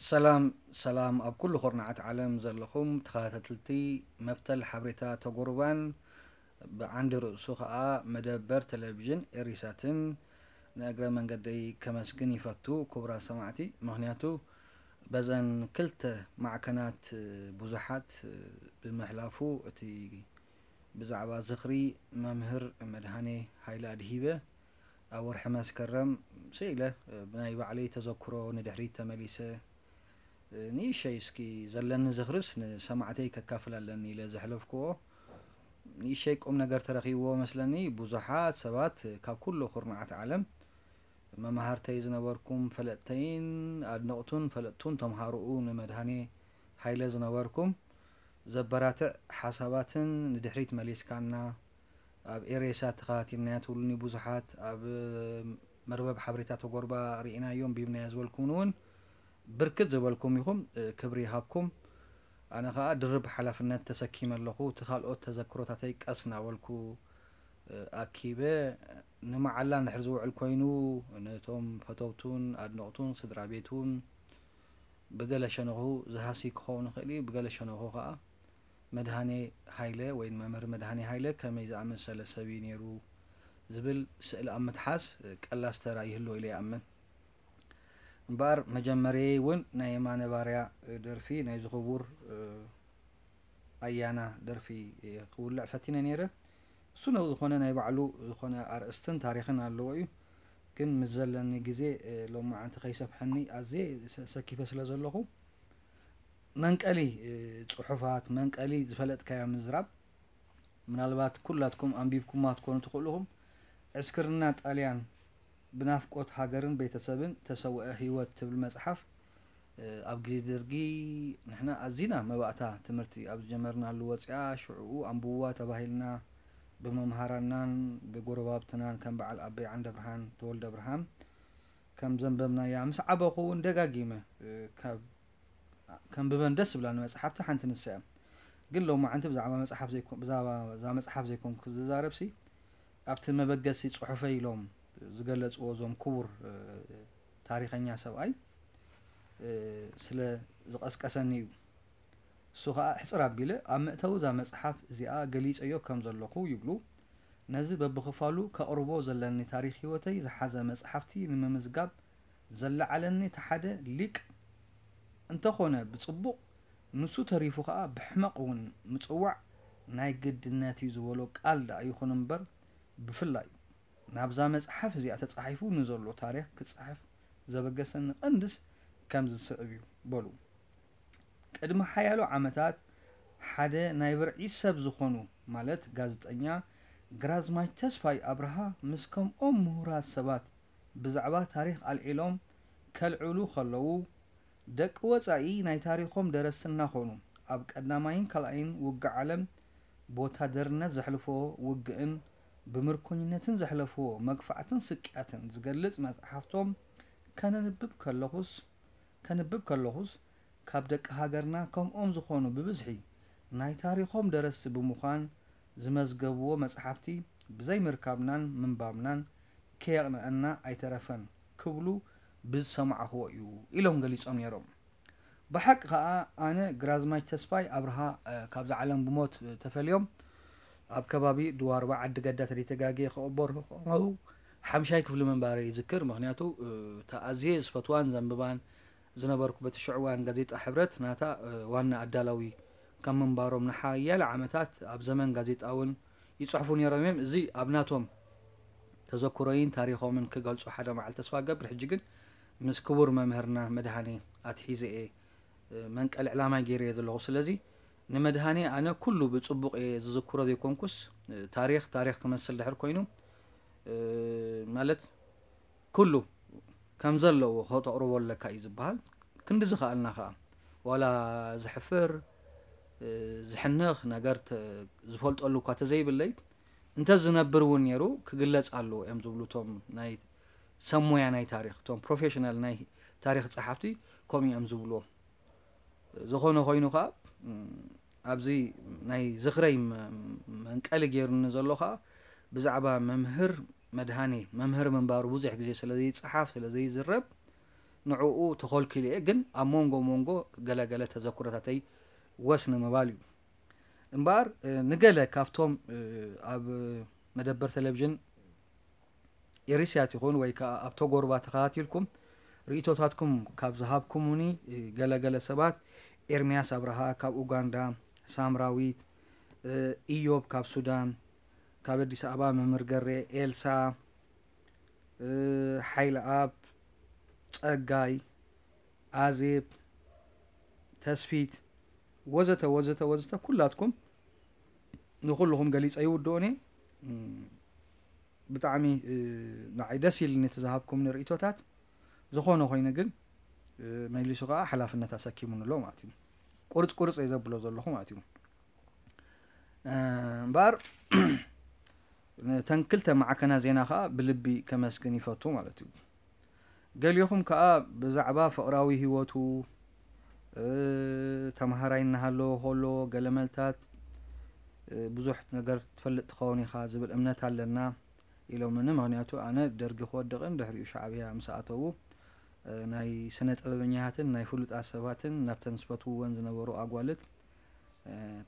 ሰላም ሰላም ኣብ ኩሉ ኩርናዓት ዓለም ዘለኹም ተኸታተልቲ መፍተል ሓብሬታ ተጎርባን ብዓንዲ ርእሱ ኸኣ መደበር ቴሌቪዥን ኤሪሳትን ንእግረ መንገደይ ከመስግን ይፈቱ ክቡራት ሰማዕቲ። ምኽንያቱ በዘን ክልተ ማዕከናት ብዙሓት ብምሕላፉ እቲ ብዛዕባ ዝኽሪ መምህር መድሃኔ ሃይለ ኣድሂበ ኣብ ወርሒ መስከረም ስኢለ ብናይ ባዕለይ ተዘክሮ ንድሕሪት ተመሊሰ ንእሸይ እስኪ ዘለኒ ዝኽርስ ንሰማዕተይ ከካፍል ኣለኒ ኢለ ዘሕለፍክዎ ንእሸይ ቁም ነገር ተረኺብዎ መስለኒ። ብዙሓት ሰባት ካብ ኩሉ ኩርናዓት ዓለም መማህርተይ ዝነበርኩም ፈለጥተይን ኣድነቕቱን ፈለጥቱን ተምሃሮኡ ንመድሃኔ ሃይለ ዝነበርኩም ዘበራትዕ ሓሳባትን ንድሕሪት መሊስካና ኣብ ኤሬሳ ተኸታቲልናያ ትብሉኒ ብዙሓት ኣብ መርበብ ሓበሬታ ተጎርባ ርኢናዮ ኣንቢብናዮ ዝበልኩምኒ እውን ብርክት ዝበልኩም ኢኹም። ክብሪ ይሃብኩም። ኣነ ኸኣ ድርብ ሓላፍነት ተሰኪመ ኣለኹ። እቲ ካልኦት ተዘክሮታተይ ቀስ እናበልኩ ኣኪበ ንመዓላ እንድሕር ዝውዕል ኮይኑ ነቶም ፈተውቱን ኣድነቕቱን ስድራ ቤቱን ብገለ ሸነኹ ዝሃሲ ክኸውን ይኽእል እዩ። ብገለ ሸነኹ ኸኣ መድሃኔ ሃይለ ወይ መምህር መድሃኔ ሃይለ ከመይ ዝኣመሰለ ሰብ እዩ ነይሩ ዝብል ስእሊ ኣብ ምትሓዝ ቀላስ ተራ ይህልዎ ኢለ ይኣምን። እምበኣር መጀመርየይ እውን ናይ የማነ ባርያ ደርፊ ናይዚ ክቡር ኣያና ደርፊ ክውልዕ ፈቲነ ነይረ። እሱ ነው ዝኾነ ናይ ባዕሉ ዝኾነ ኣርእስትን ታሪኽን ኣለዎ እዩ። ግን ምስ ዘለኒ ግዜ ሎማዓንቲ ከይሰፍሐኒ ኣዝየ ሰኪፈ ስለ ዘለኹ መንቀሊ ጽሑፋት መንቀሊ ዝፈለጥካዮ ምዝራብ ምናልባት ኩላትኩም ኣንቢብኩማ ትኮኑ ትኽእሉ ኢኹም። ዕስክርና ጣልያን ብናፍቆት ሃገርን ቤተሰብን ተሰውአ ህይወት ትብል መጽሓፍ ኣብ ግዜ ደርጊ ንሕና ኣዚና መባእታ ትምህርቲ ኣብ ዝጀመርናሉ ወጺኣ ሽዕኡ ኣንብብዋ ተባሂልና ብመምሃራናን ብጎረባብትናን ከም በዓል ኣበይ ዓንደብርሃን ተወልደብርሃን ከም ዘንበብናያ ምስ ዓበኹ እውን ደጋጊመ ካብ ከንብበን ደስ ዝብላኒ መጽሓፍቲ ሓንቲ ንሳ እያ። ግን ሎማዓንቲ ብዛዕባ መጽሓፍ ዘይኮ- ብዛዕባ እዛ መጽሓፍ ዘይኮንኩ ዝዛረብሲ ኣብቲ መበገሲ ጽሑፈይ ኢሎም ዝገለጽዎ እዞም ክቡር ታሪኸኛ ሰብኣይ ስለ ዝቐስቀሰኒ እዩ። እሱ ኸኣ ሕጽር ኣቢለ ኣብ መእተዊ እዛ መጽሓፍ እዚኣ ገሊጸዮ ከም ዘለኹ ይብሉ። ነዚ በብኽፋሉ ከቕርቦ ዘለኒ ታሪኽ ህይወተይ ዝሓዘ መጽሓፍቲ ንምምዝጋብ ዘለዓለኒ እቲ ሓደ ሊቅ እንተኾነ ብጽቡቕ ንሱ ተሪፉ ኸኣ ብሕመቕ እውን ምጽዋዕ ናይ ግድነት እዩ ዝበሎ ቃል ደኣ ይኹን እምበር ብፍላይ ናብዛ መጽሓፍ እዚኣ ተጻሒፉ ንዘሎ ታሪኽ ክጽሕፍ ዘበገሰኒ ቀንድስ ከምዚ ዝስዕብ እዩ በሉ። ቅድሚ ሓያሎ ዓመታት ሓደ ናይ ብርዒ ሰብ ዝኾኑ ማለት ጋዜጠኛ ግራዝማች ተስፋይ ኣብርሃ ምስ ከምኦም ምሁራት ሰባት ብዛዕባ ታሪኽ ኣልዒሎም ከልዕሉ ከለዉ ደቂ ወጻኢ ናይ ታሪኾም ደረስቲ እናኾኑ ኣብ ቀዳማይን ካልኣይን ውግእ ዓለም ብወታደርነት ዘሕልፍዎ ውግእን ብምርኮኝነትን ዘሕለፍዎ መግፋዕትን ስቅያትን ዝገልጽ መጽሓፍቶም ከነንብብ ከለኹስ ከንብብ ከለኹስ ካብ ደቂ ሃገርና ከምኦም ዝኾኑ ብብዝሒ ናይ ታሪኾም ደረስቲ ብምዃን ዝመዝገብዎ መጽሓፍቲ ብዘይምርካብናን ምንባብናን ከየቕንኣና ኣይተረፈን ክብሉ ብዝሰማዕኽዎ እዩ ኢሎም ገሊጾም ነይሮም። ብሓቂ ኸኣ ኣነ ግራዝማች ተስፋይ ኣብርሃ ካብዛ ዓለም ብሞት ተፈልዮም ኣብ ከባቢ ድዋርባ ዓዲ ገዳ ተደይተጋግየ ክቕበሩ ከለዉ ሓምሻይ ክፍሊ ምንባረይ ይዝክር። ምኽንያቱ እታ ኣዝየ ዝፈትዋን ዘንብባን ዝነበርኩ በቲ ሽዑ እዋን ጋዜጣ ሕብረት ናታ ዋና ኣዳላዊ ካብ ምንባሮም ንሓያለ ዓመታት ኣብ ዘመን ጋዜጣ እውን ይጽሕፉ ነይሮም እዮም። እዚ ኣብ ናቶም ተዘክሮይን ታሪኾምን ክገልጹ ሓደ መዓልቲ ተስፋ እገብር። ሕጂ ግን ምስ ክቡር መምህርና መድሃኔ ኣትሒዘ እየ መንቀሊ ዕላማይ ገይረዮ ዘለኹ። ስለዚ ንመድሃኔ ኣነ ኩሉ ብጽቡቕ እየ ዝዝክሮ ዘይኮንኩስ ታሪኽ ታሪኽ ክመስል ድሕር ኮይኑ ማለት ኩሉ ከም ዘለዎ ከተቕርቦ ኣለካ እዩ ዝበሃል። ክንዲ ዝኸኣልና ከዓ ዋላ ዝሕፍር ዝሕንኽ ነገር ዝፈልጠሉ እኳ ተዘይብለይ እንተ ዝነብር እውን ነይሩ ክግለፅ ኣለዎ እዮም ዝብሉ እቶም ናይ ሰብ ሞያ ናይ ታሪክ እቶም ፕሮፌሽናል ናይ ታሪክ ፀሓፍቲ ከምኡ እዮም ዝብልዎ። ዝኾነ ኮይኑ ከዓ ኣብዚ ናይ ዝኽረይ መንቀሊ ገይሩኒ ዘሎ ከዓ ብዛዕባ መምህር መድሃኔ መምህር ምንባሩ ብዙሕ ግዜ ስለ ዘይፀሓፍ ስለ ዘይዝረብ ንዕኡ ተኾልኪሉ እየ፣ ግን ኣብ መንጎ መንጎ ገለገለ ተዘክሮታተይ ወስ ንምባል እዩ። እምበኣር ንገለ ካብቶም ኣብ መደበር ቴሌቪዥን ኤሪስያት ይኹን ወይ ከዓ ኣብ ተጎርባ ተኸታቲልኩም ርእይቶታትኩም ካብ ዝሃብኩምኒ ገለገለ ሰባት፣ ኤርምያስ ኣብርሃ ካብ ኡጋንዳ፣ ሳምራዊት፣ ኢዮብ ካብ ሱዳን፣ ካብ ኣዲስ ኣበባ መምህር ገሬ፣ ኤልሳ፣ ሓይለኣብ፣ ጸጋይ፣ ኣዜብ፣ ተስፊት፣ ወዘተ ወዘተ ወዘተ፣ ኩላትኩም ንኩልኹም ገሊጸ ይውድኦኒ። ብጣዕሚ ንዓይ ደስ ኢልኒ እቲ ዝሃብኩም ንርእይቶታት። ዝኾነ ኮይኑ ግን መሊሱ ከዓ ሓላፍነት ኣሰኪሙኒ ኣሎ ማለት እዩ። ቁርፅ ቁርፅ እየ ዘብሎ ዘለኹ ማለት እዩ። እምበኣር ነተን ክልተ ማዕከና ዜና ከዓ ብልቢ ከመስግን ይፈቱ ማለት እዩ። ገሊኹም ከዓ ብዛዕባ ፍቕራዊ ህይወቱ ተምሃራይ እናሃለወ ከሎ ገለመልታት ብዙሕ ነገር ትፈልጥ ትኸውን ኢኻ ዝብል እምነት ኣለና ኢሎምኒ። ምኽንያቱ ኣነ ደርጊ ክወድቕን ድሕሪኡ ሻዕብያ ምስ ኣተዉ ናይ ስነ ጥበበኛታትን ናይ ፍሉጣት ሰባትን ናብተን ዝፈትውወን ዝነበሩ ኣጓልት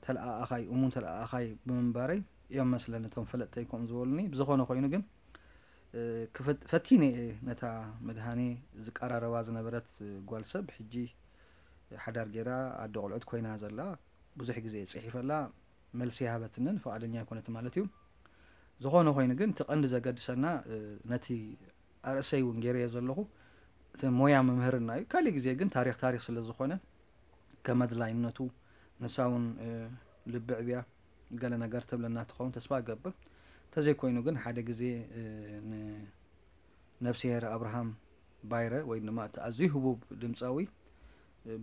ተለኣኣኻይ እሙን ተለኣኣኻይ ብምንባረይ እዮም መስለኒ እቶም ፈለጥተይ ከምኡ ዝበሉኒ። ብዝኾነ ኮይኑ ግን ፈቲነ እየ ነታ መድሃኔ ዝቀራረባ ዝነበረት ጓል ሰብ ሕጂ ሓዳር ገይራ ኣደ ቆልዑት ኮይና ዘላ ብዙሕ ግዜ እየ ፅሒፈላ፣ መልሲ ይሃበትንን ፍቓደኛ ኣይኮነትን ማለት እዩ። ዝኾነ ኮይኑ ግን እቲ ቀንዲ ዘገድሰና ነቲ ኣርእሰይ እውን ገይረዮ ዘለኹ እቲ ሞያ ምምህርና እዩ። ካሊእ ግዜ ግን ታሪኽ ታሪኽ ስለ ዝኾነ ከም ኣድላይነቱ ንሳ እውን ልቢ ዕብያ ገለ ነገር ትብለና ትኸውን ተስፋ እገብር። እንተዘይኮይኑ ግን ሓደ ግዜ ንነብስሄር ኣብርሃም ባይረ ወይ ድማ እቲ ኣዝዩ ህቡብ ድምፃዊ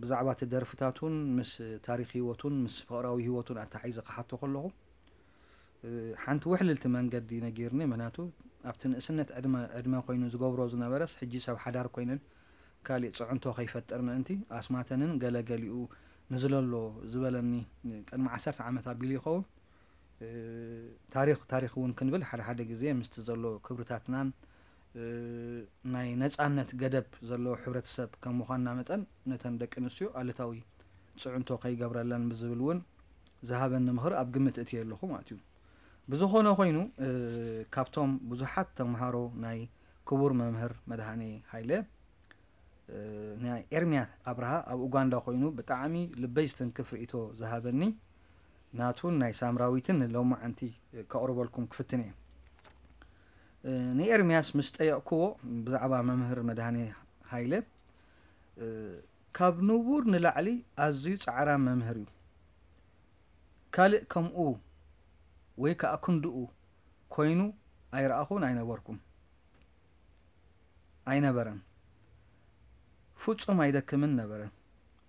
ብዛዕባ እቲ ደርፍታቱን ምስ ታሪክ ህይወቱን ምስ ፍቕራዊ ህይወቱን ኣተሓሒዘ ክሓቶ ከለኹ ሓንቲ ውሕልልቲ መንገዲ ነጊርኒ። ምክንያቱ ኣብቲ ንእስነት ዕድመ ዕድመ ኮይኑ ዝገብሮ ዝነበረስ ሕጂ ሰብ ሓዳር ኮይነን ካሊእ ፅዕንቶ ከይፈጥር ምእንቲ ኣስማተንን ገለገሊኡ ንዝለሎ ዝበለኒ ቅድሚ ዓሰርተ ዓመት ኣቢሉ ይኸውን። ታሪኽ ታሪኽ እውን ክንብል ሓደ ሓደ ግዜ ምስቲ ዘሎ ክብርታትናን ናይ ነፃነት ገደብ ዘለዎ ሕብረተሰብ ከም ምዃንና መጠን ነተን ደቂ ኣንስትዮ ኣሉታዊ ፅዕንቶ ከይገብረለን ብዝብል እውን ዝሃበኒ ምኽሪ ኣብ ግምት እትየ ኣለኹ ማለት እዩ። ብዝኾነ ኮይኑ ካብቶም ብዙሓት ተምሃሮ ናይ ክቡር መምህር መድሃኔ ሃይለ ናይ ኤርምያስ ኣብርሃ ኣብ ኡጋንዳ ኮይኑ ብጣዕሚ ልበይ ዝትንክፍ ርእይቶ ዝሃበኒ ናቱን ናይ ሳምራዊትን ንሎማዓንቲ ከቕርበልኩም ክፍትን እየ። ንኤርምያስ ምስ ጠየቕክዎ ብዛዕባ መምህር መድሃኔ ሃይለ ካብ ንቡር ንላዕሊ ኣዝዩ ጻዕራም መምህር እዩ። ካልእ ከምኡ ወይ ከዓ ክንድኡ ኮይኑ ኣይረኣኹን ኣይነበርኩም። ኣይነበረን። ፍጹም ኣይደክምን ነበረ።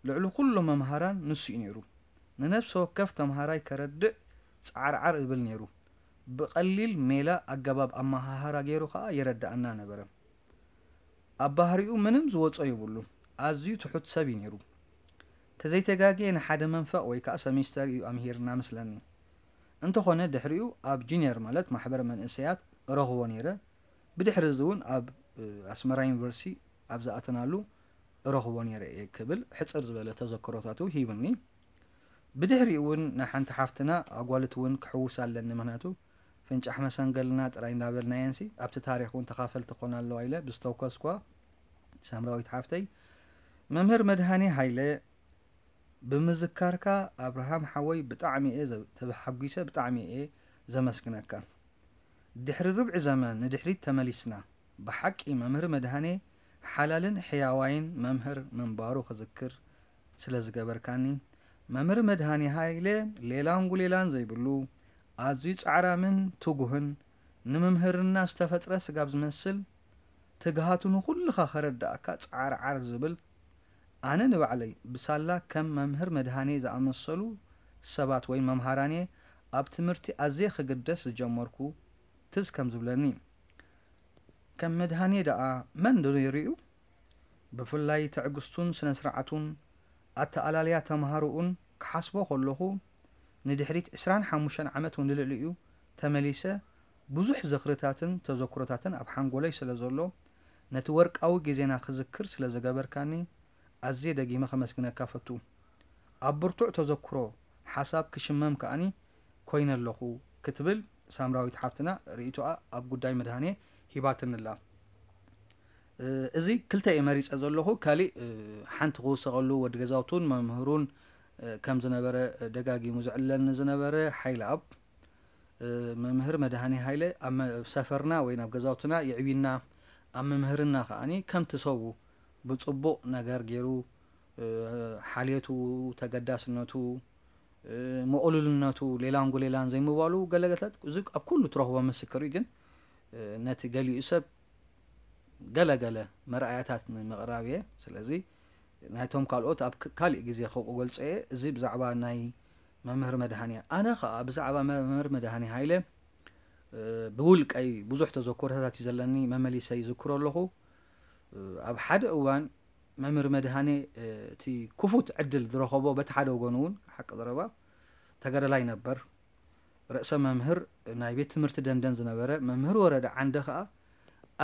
ልዕሊ ኩሎም መምሃራን ንሱ እዩ ነይሩ። ንነፍሲ ወከፍ ተምሃራይ ከረድእ ጻዕርዓር እብል ነይሩ። ብቐሊል ሜላ ኣገባብ ኣመሃህራ ገይሩ ኸኣ የረድኣና ነበረ። ኣብ ባህሪኡ ምንም ዝወጾ የብሉን። ኣዝዩ ትሑት ሰብ እዩ ነይሩ። ተዘይተጋግየ ንሓደ መንፈቕ ወይ ከኣ ሰሚስተር እዩ ኣምሂርና መስለኒ። እንተኾነ ድሕሪኡ ኣብ ጁኒየር ማለት ማሕበር መንእሰያት እረኽቦ ነይረ። ብድሕሪ እዚ እውን ኣብ ኣስመራ ዩኒቨርሲቲ ኣብ ዝኣተናሉ እረኽቦ ነይረ እየ ክብል ሕጽር ዝበለ ተዘክሮታቱ ሂብኒ። ብድሕሪኡ እውን ንሓንቲ ሓፍትና ኣጓልት እውን ክሕውስ ኣለኒ፣ ምኽንያቱ ፍንጫሕ መሰንገልና ጥራይ እንዳበልናየንሲ ኣብቲ ታሪኽ እውን ተኻፈልቲ ክኾና ኣለዋ ኢለ ብዝተውከስኳ ሳምራዊት ሓፍተይ፣ መምህር መድሃኔ ሃይለ፣ ብምዝካርካ ኣብርሃም ሓወይ ብጣዕሚ እየ ተሓጒሰ፣ ብጣዕሚ እየ ዘመስግነካ። ድሕሪ ርብዒ ዘመን ንድሕሪት ተመሊስና፣ ብሓቂ መምህር መድሃኔ ሓላልን ሕያዋይን መምህር ምንባሩ ክዝክር ስለ ዝገበርካኒ፣ መምህር መድሃኔ ሃይለ ሌላን ጉሌላን ዘይብሉ፣ ኣዝዩ ጻዕራምን ትጉህን፣ ንምምህርና ዝተፈጥረ ስጋብ ዝመስል ትግሃቱ ንኹልኻ ከረድኣካ ጻዕርዓር ዝብል፣ ኣነ ንባዕለይ ብሳላ ከም መምህር መድሃኔ ዝኣመሰሉ ሰባት ወይ መምሃራንየ ኣብ ትምህርቲ ኣዝየ ክግደስ ዝጀመርኩ ትዝ ከም ዝብለኒ። ከም መድሃኔ ደኣ መን ዶ ነይሩ እዩ? ብፍላይ ትዕግስቱን ስነ ስርዓቱን ኣተኣላልያ ተምሃሮኡን ክሓስቦ ከለኹ ንድሕሪት ዕስራን ሓሙሽተን ዓመት ንልዕሊኡ ተመሊሰ ብዙሕ ዝኽርታትን ተዘክሮታትን ኣብ ሓንጎለይ ስለ ዘሎ ነቲ ወርቃዊ ግዜና ክዝክር ስለ ዝገበርካኒ ኣዝየ ደጊመ ከመስግነካ ፈቱ። ኣብ ብርቱዕ ተዘክሮ ሓሳብ ክሽመም ከኣኒ ኮይነ ኣለኹ ክትብል ሳምራዊት ሓፍትና ርእይቶኣ ኣብ ጉዳይ መድሃኔ ሂባትንላ። እዚ ክልተ እየ መሪጸ ዘለኹ። ካሊእ ሓንቲ ክውሰኸሉ ወዲ ገዛውቱን መምህሩን ከም ዝነበረ ደጋጊሙ ዝዕለኒ ዝነበረ ሓይለኣብ መምህር መድሃኔ ሃይለ ኣብ ሰፈርና ወይ ናብ ገዛውትና የዕብና፣ ኣብ መምህርና ከኣኒ ከምቲ ሰቡ ብጽቡቕ ነገር ገይሩ ሓልየቱ፣ ተገዳስነቱ፣ ምቕሉልነቱ፣ ሌላን ጉሌላን ዘይምባሉ ገለገታት እዚ ኣብ ኩሉ ትረኽቦ ምስክር እዩ። ግን ነቲ ገሊኡ ሰብ ገለ ገለ መርኣያታት ንምቕራብ እየ። ስለዚ ናይቶም ካልኦት ኣብ ካሊእ ግዜ ክገልጾ እየ። እዚ ብዛዕባ ናይ መምህር መድሃኔ። ኣነ ኸኣ ብዛዕባ መምህር መድሃኔ ሃይለ ብውልቀይ ብዙሕ ተዘክሮታት እዩ ዘለኒ፣ መመሊሰ ይዝክሮ ኣለኹ። ኣብ ሓደ እዋን መምህር መድሃኔ እቲ ክፉት ዕድል ዝረኸቦ በቲ ሓደ ወገኑ እውን ሓቂ ዘረባ ተጋዳላይ ነበር። ርእሰ መምህር ናይ ቤት ትምህርቲ ደንደን ዝነበረ መምህር ወረደ ዓንደ ኸኣ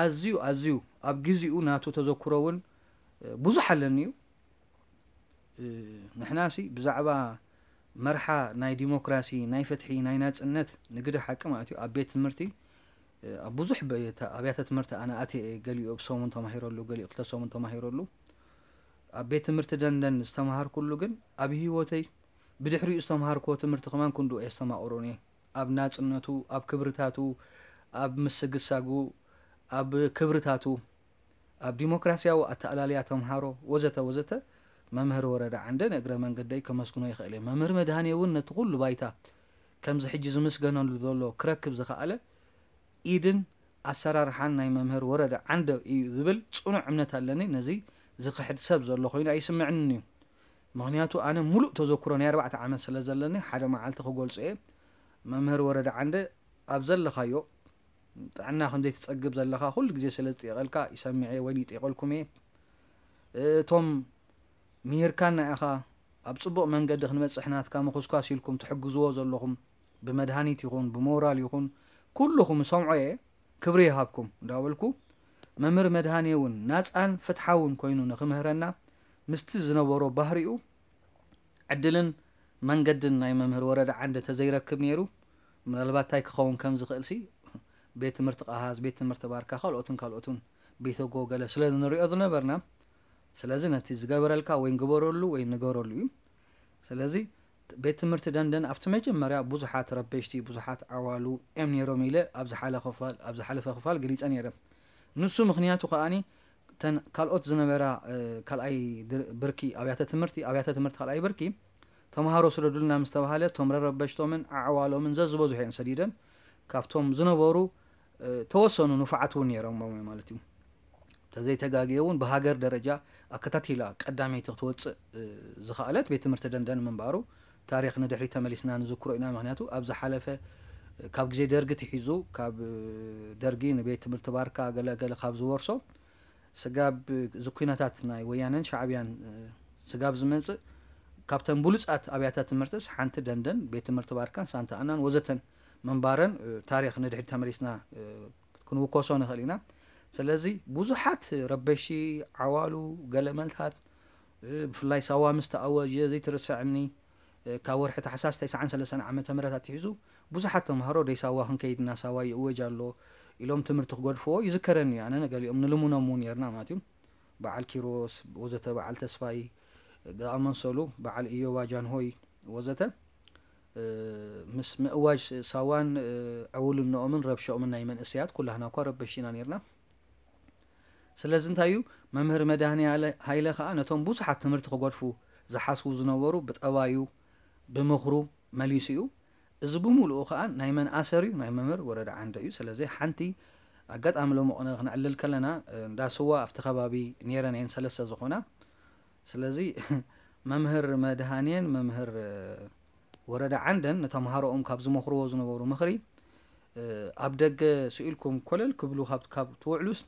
ኣዝዩ ኣዝዩ ኣብ ግዚኡ ናቱ ተዘክሮ እውን ብዙሕ ኣለኒ እዩ። ንሕናሲ ብዛዕባ መርሓ ናይ ዲሞክራሲ፣ ናይ ፍትሒ፣ ናይ ናጽነት ንግዲ ሓቂ ማለት እዩ ኣብ ቤት ትምህርቲ ኣብ ብዙሕ ኣብያተ ትምህርቲ ኣነ ኣትየ እየ። ገሊኡ ሰሙን ተማሂረሉ፣ ገሊኡ ክልተ ሰሙን ተማሂረሉ። ኣብ ቤት ትምህርቲ ደንደን ዝተማሃርኩሉ ግን ኣብ ህይወተይ ብድሕሪኡ ዝተማሃርክዎ ትምህርቲ ከማን ክንድኡ የስተማቕሩኒ። ኣብ ናጽነቱ፣ ኣብ ክብርታቱ፣ ኣብ ምስግሳጉ፣ ኣብ ክብርታቱ፣ ኣብ ዲሞክራሲያዊ ኣተኣላልያ ተምሃሮ ወዘተ ወዘተ መምህር ወረዳ ዓንደ ንእግረ መንገደይ ከመስግኖ ይኽእል እየ። መምህር መድሃኔ እውን ነቲ ኩሉ ባይታ ከምዚ ሕጂ ዝምስገነሉ ዘሎ ክረክብ ዝኸኣለ ኢድን ኣሰራርሓን ናይ መምህር ወረደ ዓንደ እዩ ዝብል ጽኑዕ እምነት ኣለኒ። ነዚ ዝኽሕድ ሰብ ዘሎ ኮይኑ ኣይስምዕንን እዩ። ምኽንያቱ ኣነ ሙሉእ ተዘክሮ ናይ ኣርባዕተ ዓመት ስለ ዘለኒ ሓደ መዓልቲ ክገልጾ እየ። መምህር ወረደ ዓንደ ኣብ ዘለኻዮ ጥዕና ከም ዘይትጸግብ ዘለኻ ኩሉ ግዜ ስለ ዝጥየቐልካ ይሰምዕ እየ ወይ ይጥየቐልኩም እየ። እቶም ምሂርካና ኢኻ ኣብ ጽቡቕ መንገዲ ክንበጽሕ ናትካ ምኹስኳስ ኢልኩም ትሕግዝዎ ዘለኹም ብመድሃኒት ይኹን ብሞራል ይኹን ኩልኹም እሰምዖ እየ። ክብሪ ይሃብኩም እንዳበልኩ መምህር መድሃኔ እውን ናጻን ፍትሓውን ኮይኑ ንክምህረና ምስቲ ዝነበሮ ባህሪኡ ዕድልን መንገድን ናይ መምህር ወረደ ዓንደ ተዘይረክብ ነይሩ ምናልባት እንታይ ክኸውን ከም ዝኽእል ሲ ቤት ትምህርቲ ቃሃዝ፣ ቤት ትምህርቲ ባርካ ካልኦትን ካልኦትን ቤተጎ ገለ ስለ ንሪኦ ዝነበርና ስለዚ ነቲ ዝገበረልካ ወይ ግበረሉ ወይ ንገረሉ እዩ። ስለዚ ቤት ትምህርቲ ደንደን ኣብቲ መጀመርያ ብዙሓት ረበሽቲ ብዙሓት ዓዋሉ እዮም ነይሮም ኢለ ኣብ ዝሓለፈ ክፋል ገሊፀ ነይረ። ንሱ ምኽንያቱ ከኣኒ ተን ካልኦት ዝነበራ ካልኣይ ብርኪ ኣብያተ ትምህርቲ ኣብያተ ትምህርቲ ካልኣይ ብርኪ ተምሃሮ ስደዱልና ምስ ተባሃለ እቶም ረረበሽቶምን ዓዕዋሎምን ዘዝበዝሑ እየን ሰዲደን ካብቶም ዝነበሩ ተወሰኑ ንፉዓት እውን ነይሮም ማለት እዩ። ተዘይተጋግየ እውን ብሃገር ደረጃ ኣከታቲላ ቀዳመይቲ ክትወፅእ ዝኸኣለት ቤት ትምህርቲ ደንደን ምንባሩ ታሪኽ ንድሕሪ ተመሊስና ንዝክሮ ኢና። ምክንያቱ ኣብ ዝሓለፈ ካብ ግዜ ደርጊ ትሒዙ ካብ ደርጊ ንቤት ትምህርቲ ባርካ ገለገለ ካብ ዝወርሶ ስጋብ እዚ ኩነታት ናይ ወያነን ሻዕብያን ስጋብ ዝመፅእ ካብተን ብሉፃት ኣብያተ ትምህርትስ ሓንቲ ደንደን ቤት ትምህርቲ ባርካን ሳንታ ኣናን ወዘተን ምንባረን ታሪኽ ንድሕሪት ተመሊስና ክንውከሶ ንኽእል ኢና። ስለዚ ብዙሓት ረበሺ ዓዋሉ ገለመልታት ብፍላይ ሳዋ ምስ ተኣወጀ ዘይትርስዐኒ ካብ ወርሒ ታሕሳስ ተስዓን ሰለስተን ዓመተ ምህረት ኣትሒዙ ብዙሓት ተምሃሮ ደይ ሳዋ ክንከይድ እና ሳዋ ይእወጅ ኣሎ ኢሎም ትምህርቲ ክገድፍዎ ይዝከረኒ እዩ። ኣነ ንገሊኦም ንልሙኖም እውን ነርና ማለት እዩ። በዓል ኪሮስ ወዘተ በዓል ተስፋይ ዝኣመሰሉ በዓል እዮባ ጃንሆይ ወዘተ ምስ ምእዋጅ ሳዋን ዕውልነኦምን ረብሸኦምን ናይ መንእሰያት ኩላህና እኳ ረበሽ ኢና ነርና። ስለዚ እንታይ እዩ መምህር መድሃኒ ሃይለ ከዓ ነቶም ብዙሓት ትምህርቲ ክገድፉ ዝሓስቡ ዝነበሩ ብጠባዩ ብምኽሩ መሊሱ እዩ። እዚ ብምሉኡ ከዓ ናይ መን ኣሰር እዩ ናይ መምህር ወረደ ዓንደ እዩ። ስለዚ ሓንቲ ኣጋጣሚ ሎሚ ቅነ ክነዕልል ከለና እንዳ ስዋ ኣብቲ ከባቢ ነይረን እየን ሰለስተ ዝኾና። ስለዚ መምህር መድሃንየን መምህር ወረደ ዓንደን ንተምሃሮኦም ካብ ዝመኽርዎ ዝነበሩ ምኽሪ ኣብ ደገ ስኢልኩም ኮለል ክብሉ ካብ ትውዕሉስ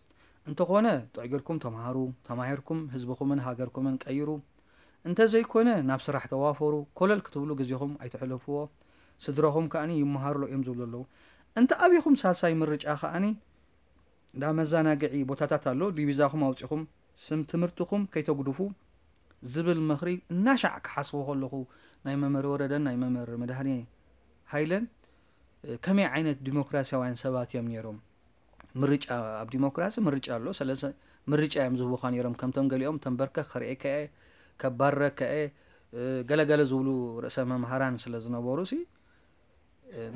እንተኾነ ጥዕገልኩም ተምሃሩ፣ ተማሂርኩም ህዝብኹምን ሃገርኩምን ቀይሩ፣ እንተዘይኮነ ናብ ስራሕ ተዋፈሩ፣ ኮለል ክትብሉ ግዜኹም ኣይተሕልፍዎ፣ ስድራኹም ከኣኒ ይመሃርሎ እዮም ዝብሉ ኣለዉ። እንተ ኣቢኹም ሳልሳይ ምርጫ ከኣኒ እንዳ መዘናግዒ ቦታታት ኣሎ፣ ዲቪዛኹም ኣውፂኹም ስም ትምህርትኹም ከይተጉድፉ ዝብል ምኽሪ እናሻዕ ክሓስቦ ከለኹ፣ ናይ መምህር ወረደን ናይ መምህር መድሃኔ ሃይለን ከመይ ዓይነት ዲሞክራሲያውያን ሰባት እዮም ነይሮም? ምርጫ፣ ኣብ ዲሞክራሲ ምርጫ ኣሎ። ስለዚ ምርጫ እዮም ዝህቡኻ ነይሮም። ከምቶም ገሊኦም ተንበርከኽ ከርእየካ እየ፣ ከባርረካ እየ፣ ገለገለ ዝብሉ ርእሰ መምሃራን ስለ ዝነበሩ ሲ፣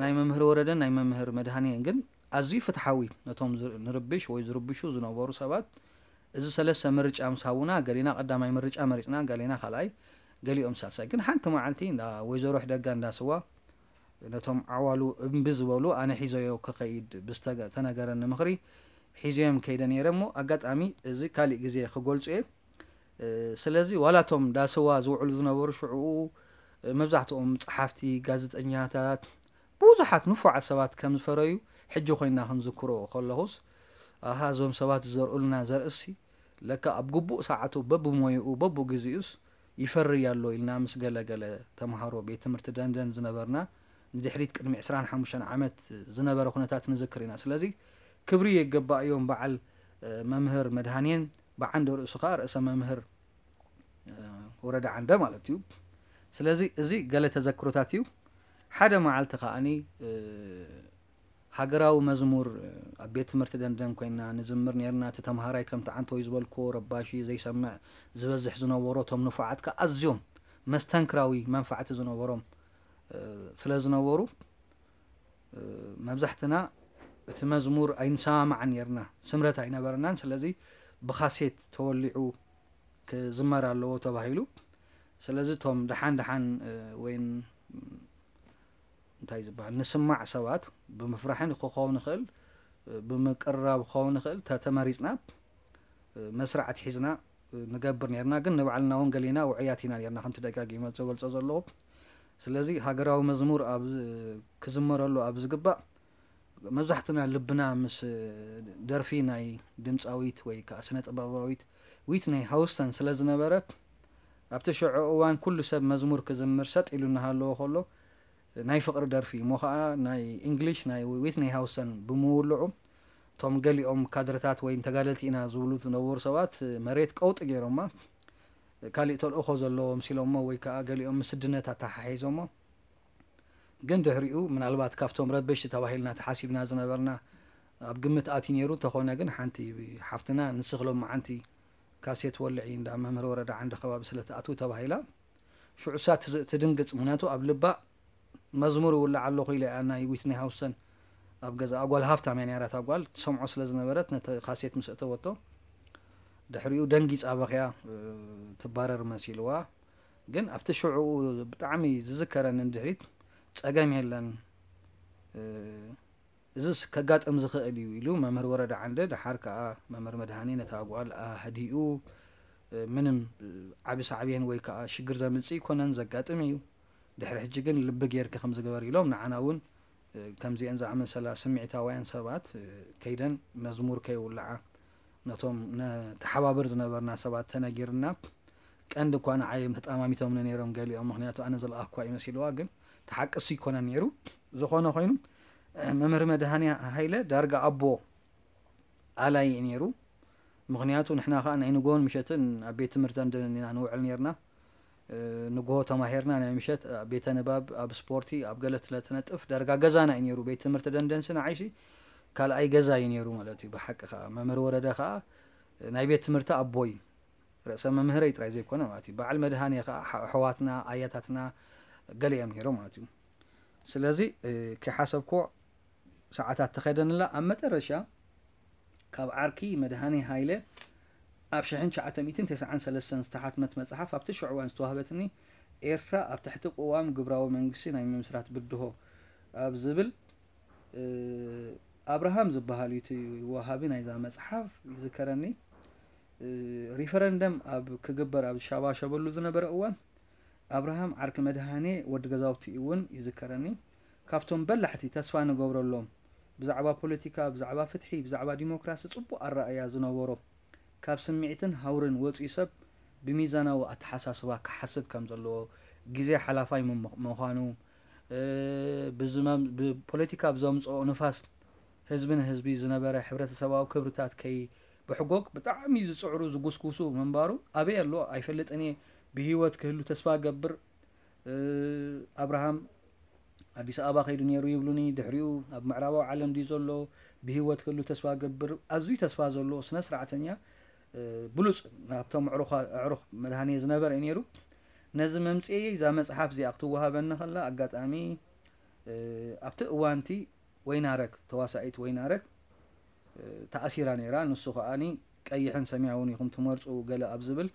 ናይ መምህር ወረደን ናይ መምህር መድሃኔን ግን ኣዝዩ ፍትሓዊ። ነቶም ንርብሽ ወይ ዝርብሹ ዝነበሩ ሰባት እዚ ሰለስተ ምርጫ ምስ ሃቡና፣ ገሊና ቀዳማይ ምርጫ መሪፅና፣ ገሊና ካልኣይ፣ ገሊኦም ሳልሳይ። ግን ሓንቲ መዓልቲ እንዳ ወይዘሮ ሕደጋ እንዳ ስዋ ነቶም ዓዋሉ እምቢ ዝበሉ ኣነ ሒዘዮ ክኸይድ ብዝተገ-፣ ተነገረኒ ምኽሪ ሒዘዮም ከይደ ነይረ እሞ ኣጋጣሚ እዚ ካሊእ ግዜ ክገልጹ እየ። ስለዚ ዋላ እቶም ዳስዋ ዝውዕሉ ዝነበሩ ሽዕኡ መብዛሕትኦም ጸሓፍቲ፣ ጋዜጠኛታት፣ ብዙሓት ንፉዓት ሰባት ከም ዝፈረዩ ሕጂ ኮይና ክንዝክሮ ከለኹስ፣ ኣሃ እዞም ሰባት ዝዘርእሉና ዘርእሲ ለካ ኣብ ግቡእ ሰዓቱ በብሞይኡ በብግዜኡስ ይፈርይ ኣሎ ኢልና ምስ ገለ ገለ ተምሃሮ ቤት ትምህርቲ ደንደን ዝነበርና ንድሕሪት ቅድሚ ዕስራን ሓሙሽተን ዓመት ዝነበረ ኩነታት ንዝክር ኢና። ስለዚ ክብሪ የገባእዮም በዓል መምህር መድሃኔን ብዓንደ ርእሱ ከዓ ርእሰ መምህር ወረዳ ዓንደ ማለት እዩ። ስለዚ እዚ ገለ ተዘክሮታት እዩ። ሓደ መዓልቲ ከዓኒ ሃገራዊ መዝሙር ኣብ ቤት ትምህርቲ ደንደን ኮይና ንዝምር ነርና። እቲ ተምሃራይ ከምቲ ዓንተወይ ዝበልክዎ ረባሺ ዘይሰምዕ ዝበዝሕ ዝነበሮ እቶም ንፉዓት ከኣ ኣዝዮም መስተንክራዊ መንፋዕቲ ዝነበሮም ስለ ዝነበሩ መብዛሕትና እቲ መዝሙር ኣይንሰማማዕን ነርና። ስምረት ኣይነበረናን። ስለዚ ብካሴት ተወሊዑ ክዝመር ኣለዎ ተባሂሉ። ስለዚ እቶም ደሓን ደሓን ወይ እንታይ ዝበሃል ንስማዕ ሰባት ብምፍራሕን ክኸውን ይኽእል ብምቅርራብ ክኸውን ይኽእል ተተመሪፅና መስርዓት ሒዝና ንገብር ነርና። ግን ንባዕልና እውን ገሊና ውዕያት ኢና ነርና ከምቲ ደጋጊመ ዘገልፆ ዘለኹ። ስለዚ ሃገራዊ መዝሙር ኣብ ክዝመረሉ ኣብ ዝግባእ መብዛሕትና ልብና ምስ ደርፊ ናይ ድምፃዊት ወይ ከዓ ስነ ጥበባዊት ዊትነይ ሃውስተን ስለ ዝነበረ ኣብቲ ሽዑ እዋን ኩሉ ሰብ መዝሙር ክዝምር ሰጥ ኢሉ እናሃለዎ ከሎ ናይ ፍቕሪ ደርፊ እሞ ከዓ ናይ እንግሊሽ ናይ ዊትነይ ሃውስተን ብምውልዑ እቶም ገሊኦም ካድረታት ወይ ተጋደልቲ ኢና ዝብሉ ዝነበሩ ሰባት መሬት ቀውጢ ገይሮማ። ካሊእ ተልእኾ ዘለዎ ምሲሎሞ ወይ ከዓ ገሊኦም ምስድነት ኣተሓሒዞሞ። ግን ድሕሪኡ ምናልባት ካብቶም ረበሽቲ ተባሂልና ተሓሲብና ዝነበርና ኣብ ግምት ኣትዩ ነይሩ። እንተኾነ ግን ሓንቲ ሓፍትና ንስኽ ሎማዓንቲ ካሴት ወልዒ እንዳ መምህር ወረዳ ዓንደ ከባቢ ስለ ትኣትው ተባሂላ ሽዑ እሳ ትድንግፅ። ምክንያቱ ኣብ ልባ መዝሙር ይውላዕ ኣለኹ ኢለ እያ ናይ ዊትኒ ሃውስተን ኣብ ገዛኣ ጓል ሃፍታም እያ ነይራ። እታ ጓል ትሰምዖ ስለ ዝነበረት ነቲ ካሴት ምስ እተወቶ ድሕሪኡ ደንጊፃ በኽያ ትባረር መሲልዋ። ግን ኣብቲ ሽዑ ብጣዕሚ ዝዝከረኒ ንድሕሪት ፀገም የለን እዝስ ከጋጥም ዝኽእል እዩ ኢሉ መምህር ወረዳ ዓንደ ደሓር ከዓ መምህር መድሃኔ ነታ ጓል ኣህዲኡ ምንም ዓቢ ሳዕቤን ወይ ከዓ ሽግር ዘምፅእ ኣይኮነን ዘጋጥም እዩ። ድሕሪ ሕጂ ግን ልቢ ጌርኪ ከም ዝገበር ኢሎም ንዓና እውን ከምዚአን ዝኣመሰላ ስምዒታውያን ሰባት ከይደን መዝሙር ከይውልዓ ነቶም ነተሓባብር ዝነበርና ሰባት ተነጊርና። ቀንዲ እኳ ንዓይ እዮም ተጣማሚቶምኒ ነይሮም ገሊኦም፣ ምክንያቱ ኣነ ዝለኣኽኳ ይመሲልዋ፣ ግን ተሓቅሱ ይኮነ ነይሩ። ዝኾነ ኮይኑ መምህር መድሃኔ ሃይለ ዳርጋ ኣቦ ኣላይ እዩ ነይሩ። ምክንያቱ ንሕና ከዓ ናይ ንጎን ምሸትን ኣብ ቤት ትምህርቲ ደንደን ኢና ንውዕል ነርና። ንግሆ ተማሂርና ናይ ምሸት ኣብ ቤተ ንባብ ኣብ ስፖርቲ ኣብ ገለ ስለ ትነጥፍ ዳርጋ ገዛና እዩ ነይሩ። ቤት ትምህርቲ ደንደንሲ ንዓይሲ ካልኣይ ገዛ እዩ ነይሩ ማለት እዩ። ብሓቂ ከዓ መምህር ወረደ ከዓ ናይ ቤት ትምህርቲ ኣቦይ ርእሰ መምህረይ ጥራይ ዘይኮነ ማለት እዩ። በዓል መድሃኔ ከዓ ኣሕዋትና ኣያታትና ገለ እዮም ነይሮም ማለት እዩ። ስለዚ ከይሓሰብክዎ ሰዓታት ተኸደንላ ኣብ መጠረሻ ካብ ዓርኪ መድሃኔ ሃይለ ኣብ ሽሕን ትሽዓተ ሚእትን ተስዓን ሰለስተን ዝተሓትመት መጽሓፍ ኣብቲ ሽዑ እዋን ዝተዋህበትኒ ኤርትራ ኣብ ትሕቲ ቅዋም ግብራዊ መንግስቲ ናይ ምምስራት ብድሆ ኣብ ዝብል ኣብርሃም ዝበሃል እዩ እቲ ወሃቢ ናይዛ መጽሓፍ ይዝከረኒ። ሪፈረንደም ኣብ ክግበር ኣብ ዝሻባሸበሉ ዝነበረ እዋን ኣብርሃም ዓርኪ መድሃኔ ወዲ ገዛውቲ እውን ይዝከረኒ። ካብቶም በላሕቲ ተስፋ ንገብረሎም ብዛዕባ ፖለቲካ፣ ብዛዕባ ፍትሒ፣ ብዛዕባ ዲሞክራሲ ፅቡቕ ኣረኣእያ ዝነበሮ ካብ ስምዒትን ሃውርን ወፂኡ ሰብ ብሚዛናዊ ኣተሓሳስባ ክሓስብ ከም ዘለዎ፣ ግዜ ሓላፋይ ምዃኑ፣ ብፖለቲካ ብዘምፅኦ ንፋስ ህዝቢ ንህዝቢ ዝነበረ ሕብረተሰባዊ ክብርታት ከይ ብሕጎግ ብጣዕሚ ዝፅዕሩ ዝጉስጉሱ ምንባሩ ኣበይ ኣሎ ኣይፈልጥን እየ። ብህይወት ክህሉ ተስፋ ገብር። ኣብርሃም ኣዲስ ኣበባ ከይዱ ነይሩ ይብሉኒ። ድሕሪኡ ኣብ ምዕራባዊ ዓለም ድዩ ዘሎ? ብህይወት ክህሉ ተስፋ ገብር። ኣዝዩ ተስፋ ዘለዎ ስነ ስርዓተኛ፣ ብሉፅ ናብቶም ኣዕሩኽ መድሃኔ ዝነበረ እዩ ነይሩ። ነዚ መምፅኤ እዛ መፅሓፍ እዚኣ ክትወሃበኒ ከላ ኣጋጣሚ ኣብቲ እዋንቲ ወይናረግ፣ ተዋሳኢት ወይናረግ ተኣሲራ ነይራ። ንሱ ከኣኒ ቀይሕን ሰማያውን ኢኹም ትመርፁ ገለ ኣብ ዝብል፣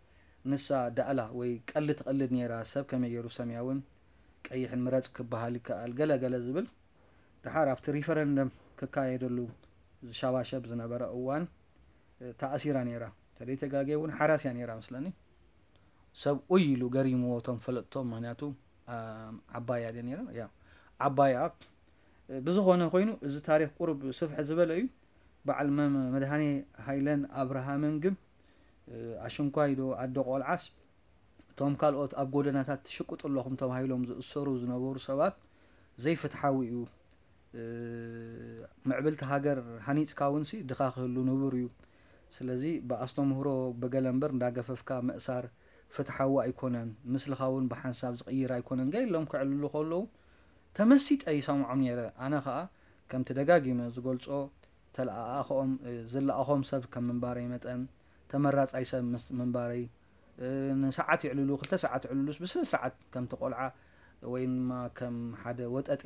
ንሳ ዳእላ ወይ ቀልድ ትቐልድ ነይራ። ሰብ ከመይ ገይሩ ሰማያውን ቀይሕን ምረፅ ክበሃል ይከኣል ገለ ገለ ዝብል። ድሓር ኣብቲ ሪፈረንደም ክካየደሉ ዝሻባሸብ ዝነበረ እዋን ተኣሲራ ነይራ። ተደይተጋገ እውን ሓራስ እያ ነይራ መስለኒ። ሰብ ኡይ ኢሉ ገሪምዎ እቶም ፈለጥቶም፣ ምክንያቱ ዓባያ ድያ ነይራ። ያ ዓባያ። ብዝኾነ ኮይኑ እዚ ታሪክ ቁሩብ ስፍሕ ዝበለ እዩ። በዓል መድሃኔ ሃይለን ኣብርሃምን ግን ኣሽንኳይ ዶ ኣደ ቆልዓስ እቶም ካልኦት ኣብ ጎደናታት ትሽቅጡ ኣለኹም ተባሂሎም ዝእሰሩ ዝነበሩ ሰባት ዘይፍትሓዊ እዩ። ምዕብልቲ ሃገር ሃኒፅካ እውን ሲ ድኻ ክህሉ ንቡር እዩ። ስለዚ ብኣስተምህሮ ብገለ እምበር እንዳገፈፍካ ምእሳር ፍትሓዊ ኣይኮነን። ምስልኻ እውን ብሓንሳብ ዝቕይር ኣይኮነን ገ ኢሎም ከዕልሉ ከለዉ ተመሲጠ ይሰምዖም ነይረ። ኣነ ኸኣ ከምቲ ደጋጊመ ዝገልጾ ተለኣኣኸኦም ዝለኣኾም ሰብ ከም ምንባረይ መጠን ተመራጻይ ሰብ ምስ ምንባረይ ንሰዓት ይዕልሉ ክልተ ሰዓት ይዕልሉስ ብስነ ስርዓት ከምቲ ቆልዓ ወይ ድማ ከም ሓደ ወጠጤ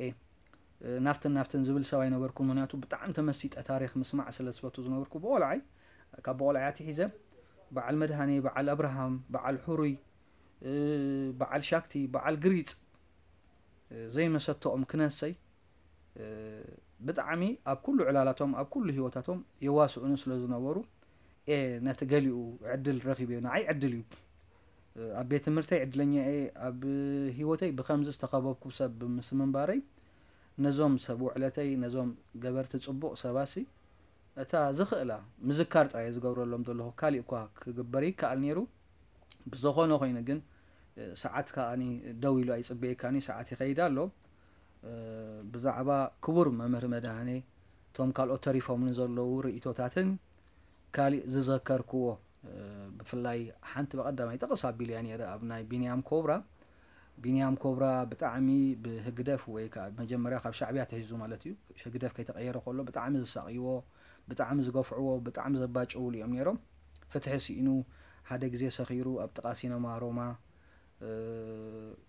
ናፍትን ናፍትን ዝብል ሰብ ኣይነበርኩን። ምክንያቱ ብጣዕሚ ተመሲጠ ታሪክ ምስማዕ ስለ ዝፈቱ ዝነበርኩ ብቆልዓይ ካብ ብቆልዓይ ኣትሒዘ በዓል መድሃኔ፣ በዓል ኣብርሃም፣ በዓል ሕሩይ፣ በዓል ሻክቲ፣ በዓል ግሪፅ ዘይመሰተኦም ክነሰይ ብጣዕሚ ኣብ ኩሉ ዕላላቶም ኣብ ኩሉ ህይወታቶም የዋስኡኒ ስለ ዝነበሩ እየ ነቲ ገሊኡ ዕድል ረኺበዮ። ንዓይ ዕድል እዩ። ኣብ ቤት ትምህርተይ ዕድለኛ እየ። ኣብ ህይወተይ ብኸምዚ ዝተኸበብኩ ሰብ ምስ ምንባረይ ነዞም ሰብ ውዕለተይ ነዞም ገበርቲ ፅቡቕ ሰባሲ እታ ዝኽእላ ምዝካር ጥራይ ዝገብረሎም ዘለኹ ካሊእ እኳ ክግበር ይከኣል ነይሩ። ብዝኾነ ኮይኑ ግን ሰዓት ከኣኒ ደው ኢሉ ኣይፅበየካኒ ሰዓት ይኸይድ ኣሎ። ብዛዕባ ክቡር መምህር መድሃኔ እቶም ካልኦት ተሪፎምኒ ዘለዉ ርእቶታትን ካሊእ ዝዘከርክዎ ብፍላይ ሓንቲ ብቐዳማይ ጠቕስ ኣቢለያ ነይረ ኣብ ናይ ቢንያም ኮብራ። ቢንያም ኮብራ ብጣዕሚ ብህግደፍ ወይ ከዓ መጀመርያ ካብ ሻዕብያ ተሒዙ ማለት እዩ ህግደፍ ከይተቐየረ ከሎ ብጣዕሚ ዝሳቕይዎ ብጣዕሚ ዝገፍዕዎ ብጣዕሚ ዘባጭውሉ እዮም ነይሮም። ፍትሒ ስኢኑ ሓደ ግዜ ሰኺሩ ኣብ ጥቓ ሲነማ ሮማ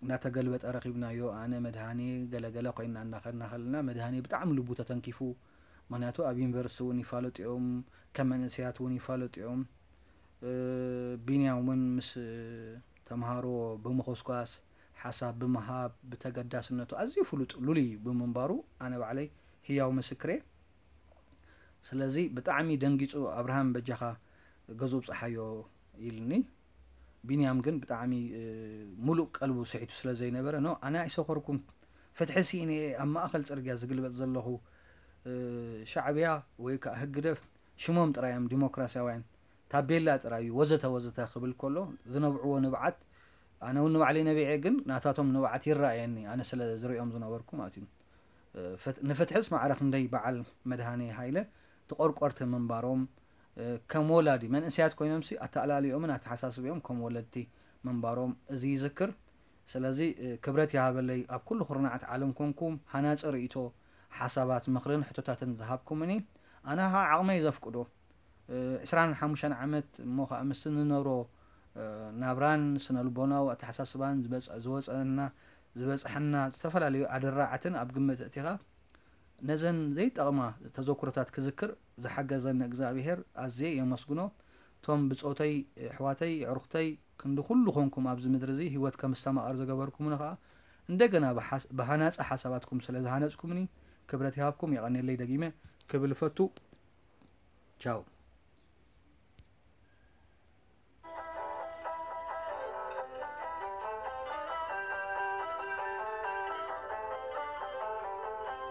እናተገልበጠ ረኺብናዮ። ኣነ መድሃኔ ገለገለ ኮይና እናኸድና ከለና መድሃኔ ብጣዕሚ ልቡ ተተንኪፉ። ምክንያቱ ኣብ ዩኒቨርሲቲ እውን ይፋለጡ እዮም፣ ከም መንእሰያት እውን ይፋለጡ እዮም። ቢንያም እውን ምስ ተምሃሮ ብምኾስኳስ ሓሳብ ብምሃብ ብተገዳስነቱ ኣዝዩ ፍሉጥ ሉሉይ ብምንባሩ ኣነ ባዕለይ ህያው ምስክሬ። ስለዚ ብጣዕሚ ደንጊፁ ኣብርሃም በጃኻ ገዝኡ ብፅሓዮ ኢልኒ። ቢንያም ግን ብጣዕሚ ሙሉእ ቀልቡ ስሒቱ ስለ ዘይነበረ ኖ ኣነ ኣይሰኸርኩን ፍትሒ ስኢነ እየ ኣብ ማእኸል ፅርግያ ዝግልበጥ ዘለኹ ሻዕብያ ወይ ከዓ ህግደፍ ሽሞም ጥራይ እዮም ዲሞክራሲያውያን ታቤላ ጥራይ እዩ ወዘተ ወዘተ ክብል ከሎ ዝነብዕዎ ንብዓት ኣነ እውን ንባዕለይ ነቢዐ ግን ናታቶም ንብዓት ይረኣየኒ ኣነ ስለ ዝሪኦም ዝነበርኩ ማለት እዩ። ንፍትሕስ ማዕረ ክንደይ በዓል መድሃኔ ሃይለ ተቆርቆርቲ ምንባሮም ከም ወላዲ መንእሰያት ኮይኖምሲ ኣተኣላልዮምን ኣተሓሳስቢኦም ከም ወለድቲ ምንባሮም እዚ ይዝክር። ስለዚ ክብረት ይሃበለይ ኣብ ኩሉ ኩርናዓት ዓለም ኮንኩም ሃናፂ ርእይቶ ሓሳባት ምኽርን ሕቶታትን ዝሃብኩምኒ ኣነ ከዓ ዓቕመይ ዘፍቅዶ ዕስራን ሓሙሽተን ዓመት እሞ ከዓ ምስ እንነብሮ ናብራን ስነልቦናዊ ኣተሓሳስባን ዝወፀና ዝበፅሐና ዝተፈላለዩ ኣደራዕትን ኣብ ግምት እቲኻ ነዘን ዘይጠቕማ ተዘክሮታት ክዝክር ዝሓገዘኒ እግዚኣብሄር ኣዝየ የመስግኖ። እቶም ብፆተይ ኣሕዋተይ ኣዕሩኽተይ ክንዲ ኩሉ ኮንኩም ኣብዚ ምድሪ እዚ ህይወት ከም ዝተማቐር ዝገበርኩምኒ ከዓ እንደገና ብሃናፂ ሓሳባትኩም ስለ ዝሃነፅኩምኒ ክብረት ይሃብኩም። የቐንየለይ ደጊመ ክብል እፈቱ። ቻው።